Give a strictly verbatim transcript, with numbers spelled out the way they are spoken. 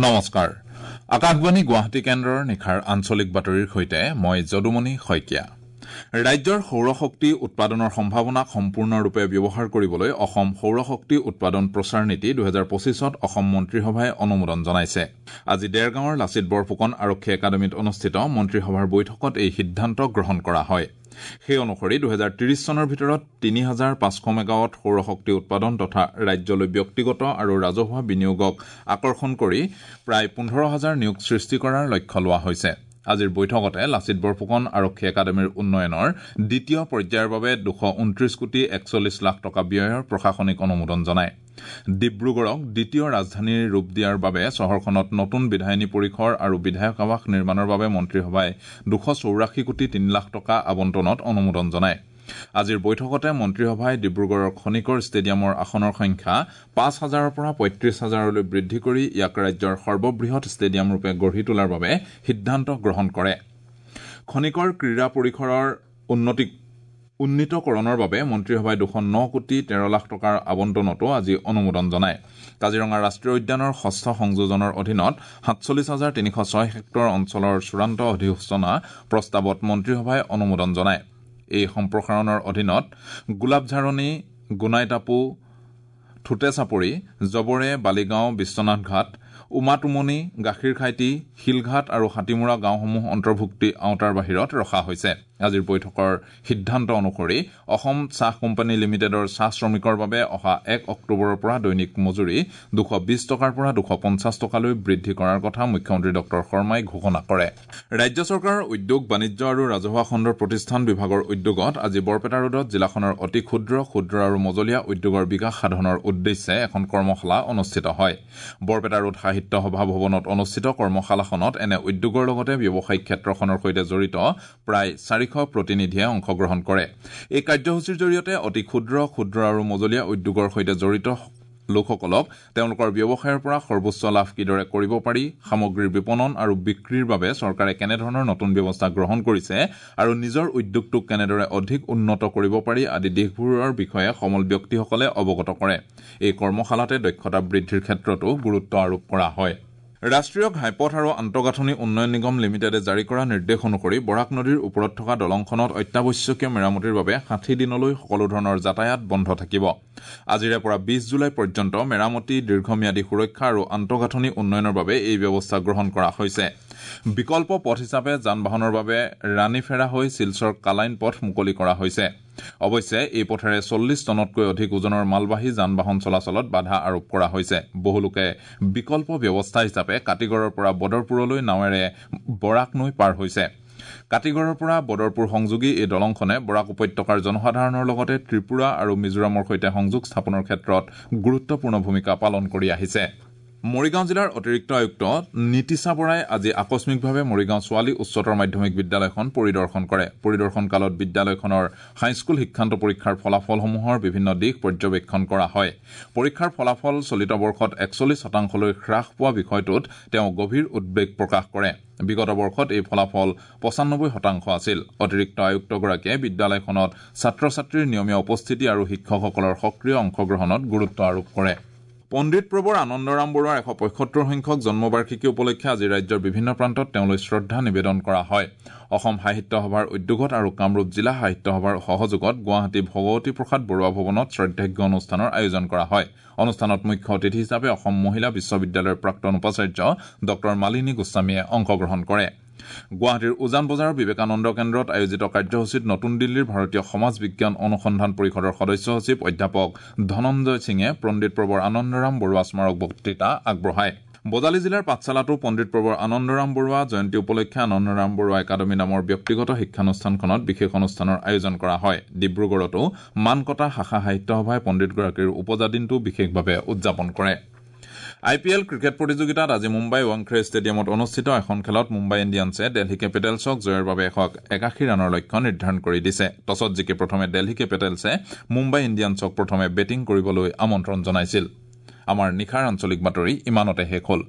নমস্কাৰ, আকাশবাণী গুৱাহাটী কেন্দ্ৰৰ নিশাৰ আঞ্চলিক বাতৰিৰ সৈতে মই যদুমণি শইকীয়া। ৰাজ্যৰ সৌৰশক্তি উৎপাদনৰ সম্ভাৱনাক সম্পূৰ্ণৰূপে ব্যৱহাৰ কৰিবলৈ অসম সৌৰশক্তি উৎপাদন প্ৰচাৰ নীতি দুহেজাৰ পঁচিছত অসম মন্ত্ৰীসভাই অনুমোদন জনাইছে। আজি দেৰগাঁৱৰ লাচিত বৰফুকন আৰক্ষী একাডেমীত অনুষ্ঠিত মন্ত্ৰীসভাৰ বৈঠকত এই সিদ্ধান্ত গ্ৰহণ কৰা হয়। সেই অনুসৰি দুহেজাৰ ত্ৰিশ চনৰ ভিতৰত তিনি হাজাৰ পাঁচশ মেগাৱাট সৌৰশক্তি উৎপাদন তথা ৰাজ্যলৈ ব্যক্তিগত আৰু ৰাজহুৱা বিনিয়োগক আকৰ্ষণ কৰি প্ৰায় পোন্ধৰ হাজাৰ নিয়োগ সৃষ্টি কৰাৰ লক্ষ্য লোৱা হৈছে। আজিৰ বৈঠকতে লাচিত বৰফুকন আৰক্ষী একাডেমীৰ উন্নয়নৰ দ্বিতীয় পৰ্যায়ৰ বাবে দুশ ঊনত্ৰিশ কোটি একচল্লিছ লাখ টকা ব্যয়ৰ প্ৰশাসনিক অনুমোদন জনায়। ডিব্ৰুগড়ক দ্বিতীয় ৰাজধানীৰ ৰূপ দিয়াৰ বাবে চহৰখনত নতুন বিধায়িনী পৰিসৰ আৰু বিধায়ক আৱাস নিৰ্মাণৰ বাবে মন্ত্ৰীসভাই দুশ চৌৰাশী কোটি তিনি লাখ টকা আবণ্টনত অনুমোদন জনায়। আজিৰ বৈঠকতে মন্ত্ৰীসভাই ডিব্ৰুগড়ৰ খনিকৰ ষ্টেডিয়ামৰ আসনৰ সংখ্যা পাঁচ হাজাৰৰ পৰা পঁয়ত্ৰিশ হাজাৰলৈ বৃদ্ধি কৰি ইয়াক ৰাজ্যৰ সৰ্ববৃহৎ ষ্টেডিয়াম ৰূপে গঢ়ি তোলাৰ বাবে সিদ্ধান্ত গ্ৰহণ কৰে। খনিকৰ ক্ৰীড়া পৰিসৰৰ উন্নতি উন্নীতকৰণৰ বাবে মন্ত্ৰীসভাই দুশ ন কোটি তেৰ লাখ টকাৰ আবণ্টনতো আজি অনুমোদন জনায়। কাজিৰঙা ৰাষ্ট্ৰীয় উদ্যানৰ ষষ্ঠ সংযোজনৰ অধীনত সাতচল্লিছ হাজাৰ তিনিশ ছয় হেক্টৰ অঞ্চলৰ চূড়ান্ত অধিসূচনা প্ৰস্তাৱত মন্ত্ৰীসভাই অনুমোদন জনায়। এই সম্প্ৰসাৰণৰ অধীনত গোলাপঝাৰণি, গোনাইটাপু, থুটেচাপৰি, জবৰে, বালিগাঁও, বিশ্বনাথ ঘাট, উমাটুমনি, গাখীৰখাইটি, শিলঘাট আৰু হাতীমূৰা গাঁওসমূহ অন্তৰ্ভুক্তি আওতাৰ বাহিৰত ৰখা হৈছে। আজিৰ বৈঠকৰ সিদ্ধান্ত অনুসৰি অসম চাহ কোম্পানী লিমিটেডৰ চাহ শ্ৰমিকৰ বাবে অহা এক অক্টোবৰৰ পৰা দৈনিক মজুৰি দুশ বিশ টকাৰ পৰা দুশ পঞ্চাছ টকালৈ বৃদ্ধি কৰাৰ কথা মুখ্যমন্ত্ৰী ডক্টৰ শৰ্মাই ঘোষণা কৰে। ৰাজ্য চৰকাৰৰ উদ্যোগ, বাণিজ্য আৰু ৰাজহুৱা খণ্ডৰ প্ৰতিষ্ঠান বিভাগৰ উদ্যোগত আজি বৰপেটা ৰোডত জিলাখনৰ অতি ক্ষুদ্ৰ, ক্ষুদ্ৰ আৰু মজলীয়া উদ্যোগৰ বিকাশ সাধনৰ উদ্দেশ্যে এখন কৰ্মশালা অনুষ্ঠিত হয়। বৰপেটা ৰোড সাহিত্য সভা ভৱনত অনুষ্ঠিত কৰ্মশালাখনত এনে উদ্যোগৰ লগতে ব্যৱসায়িক ক্ষেত্ৰখনৰ সৈতে জড়িত প্ৰায় চাৰিশ প্ৰতিনিধিয়ে অংশগ্ৰহণ কৰে। এই কাৰ্যসূচীৰ জৰিয়তে অতি ক্ষুদ্ৰ, ক্ষুদ্ৰ আৰু মজলীয়া উদ্যোগৰ সৈতে জড়িত লোকসকলক তেওঁলোকৰ ব্যৱসায়ৰ পৰা সৰ্বোচ্চ লাভ কিদৰে কৰিব পাৰি, সামগ্ৰীৰ বিপণন আৰু বিক্ৰীৰ বাবে চৰকাৰে কেনেধৰণৰ নতুন ব্যৱস্থা গ্ৰহণ কৰিছে আৰু নিজৰ উদ্যোগটোক কেনেদৰে অধিক উন্নত কৰিব পাৰি আদি দিশবোৰৰ বিষয়ে সমল ব্যক্তিসকলে অৱগত কৰে। এই কৰ্মশালাতে দক্ষতা বৃদ্ধিৰ ক্ষেত্ৰতো গুৰুত্ব আৰোপ কৰা হয়। ৰাষ্ট্ৰীয় ঘাইপথ আৰু আন্তঃগাঁথনি উন্নয়ন নিগম লিমিটেডে জাৰি কৰা নিৰ্দেশ অনুসৰি বৰাক নদীৰ ওপৰত থকা দলংখনত অত্যাৱশ্যকীয় মেৰামতিৰ বাবে ষাঠি দিনলৈ সকলো ধৰণৰ যাতায়াত বন্ধ থাকিব। আজিৰে পৰা বিশ জুলাই পৰ্যন্ত মেৰামতি, দীৰ্ঘম্যাদী সুৰক্ষা আৰু আন্তঃগাঁথনি উন্নয়নৰ বাবে এই ব্যৱস্থা গ্ৰহণ কৰা হৈছে। বিকল্প পথ হিচাপে যান বাহনৰ বাবে ৰাণীফেৰা হৈ শিলচৰ কালাইন পথ মুকলি কৰা হৈছে। অৱশ্যে এই পথেৰে চল্লিছ টনতকৈ অধিক ওজনৰ মালবাহী যান বাহন চলাচলত বাধা আৰোপ কৰা হৈছে। বহু লোকে বিকল্প ব্যৱস্থা হিচাপে কাটিগড়ৰ পৰা বদৰপুৰলৈ নাৱেৰে বৰাক নৈ পাৰ হৈছে। কাটিগড়ৰ পৰা বদৰপুৰ সংযোগী এই দলংখনে বৰাক উপত্যকাৰ জনসাধাৰণৰ লগতে ত্ৰিপুৰা আৰু মিজোৰামৰ সৈতে সংযোগ স্থাপনৰ ক্ষেত্ৰত গুৰুত্বপূৰ্ণ ভূমিকা পালন কৰি আহিছে। মৰিগাঁও জিলাৰ অতিৰিক্ত আয়ুক্ত নীতিশা বৰাই আজি আকস্মিকভাৱে মৰিগাঁও ছোৱালী উচ্চতৰ মাধ্যমিক বিদ্যালয়খন পৰিদৰ্শন কৰে। পৰিদৰ্শন কালত বিদ্যালয়খনৰ হাইস্কুল শিক্ষান্ত পৰীক্ষাৰ ফলাফলসমূহৰ বিভিন্ন দিশ পৰ্যবেক্ষণ কৰা হয়। পৰীক্ষাৰ ফলাফল চলিত বৰ্ষত একচল্লিছ শতাংশলৈ হ্ৰাস পোৱা বিষয়টোত তেওঁ গভীৰ উদ্বেগ প্ৰকাশ কৰে। বিগত বৰ্ষত এই ফলাফল পঁচানব্বৈ শতাংশ আছিল। অতিৰিক্ত আয়ুক্তগৰাকীয়ে বিদ্যালয়খনত ছাত্ৰ ছাত্ৰীৰ নিয়মীয়া উপস্থিতি আৰু শিক্ষকসকলৰ সক্ৰিয় অংশগ্ৰহণত গুৰুত্ব আৰোপ কৰে। পণ্ডিত প্ৰবৰ আনন্দৰাম বৰুৱাৰ এশ পঁয়সত্তৰ সংখ্যক জন্মবাৰ্ষিকী উপলক্ষে আজি ৰাজ্যৰ বিভিন্ন প্ৰান্তত তেওঁলৈ শ্ৰদ্ধা নিবেদন কৰা হয়। অসম সাহিত্য সভাৰ উদ্যোগত আৰু কামৰূপ জিলা সাহিত্য সভাৰ সহযোগত গুৱাহাটী ভগৱতী প্ৰসাদ বৰুৱা ভৱনত শ্ৰদ্ধাৰ্ঘ্য অনুষ্ঠানৰ আয়োজন কৰা হয়। অনুষ্ঠানত মুখ্য অতিথি হিচাপে অসম মহিলা বিশ্ববিদ্যালয়ৰ প্ৰাক্তন উপাচাৰ্য ডক্টৰ মালিনী গোস্বামীয়ে অংশগ্ৰহণ কৰে। গুৱাহাটীৰ উজান বজাৰৰ বিবেকানন্দ কেন্দ্ৰত আয়োজিত কাৰ্যসূচীত নতুন দিল্লীৰ ভাৰতীয় সমাজ বিজ্ঞান অনুসন্ধান পৰিষদৰ সদস্য সচিব অধ্যাপক ধনঞ্জয় সিঙে পণ্ডিত প্ৰবৰ আনন্দৰাম বৰুৱা স্মাৰক বক্তৃতা আগবঢ়ায়। বজালী জিলাৰ পাঠশালাতো পণ্ডিত প্ৰবৰ আনন্দৰাম বৰুৱা জয়ন্তী উপলক্ষে আনন্দৰাম বৰুৱা একাডেমী নামৰ ব্যক্তিগত শিক্ষানুষ্ঠানখনত বিশেষ অনুষ্ঠানৰ আয়োজন কৰা হয়। ডিব্ৰুগড়তো মানকটা শাখা সাহিত্য সভাই পণ্ডিতগৰাকীৰ উপজা দিনটো বিশেষভাৱে উদযাপন কৰে। আই পি এল ক্ৰিকেট প্ৰতিযোগিতাত আজি মুম্বাই ৱাংখেড়ে ষ্টেডিয়ামত অনুষ্ঠিত এখন খেলত মুম্বাই ইণ্ডিয়ানছে দিল্লী কেপিটেলছক জয়ৰ বাবে এশ একাশী ৰানৰ লক্ষ্য নিৰ্ধাৰণ কৰি দিছে। টছত জিকি প্ৰথমে দিল্লী কেপিটেলছে মুম্বাই ইণ্ডিয়ানছক প্ৰথমে বেটিং কৰিবলৈ আমন্ত্ৰণ জনাইছিল। আমাৰ নিশাৰ আঞ্চলিক বাতৰি ইমানতে শেষ হ'ল।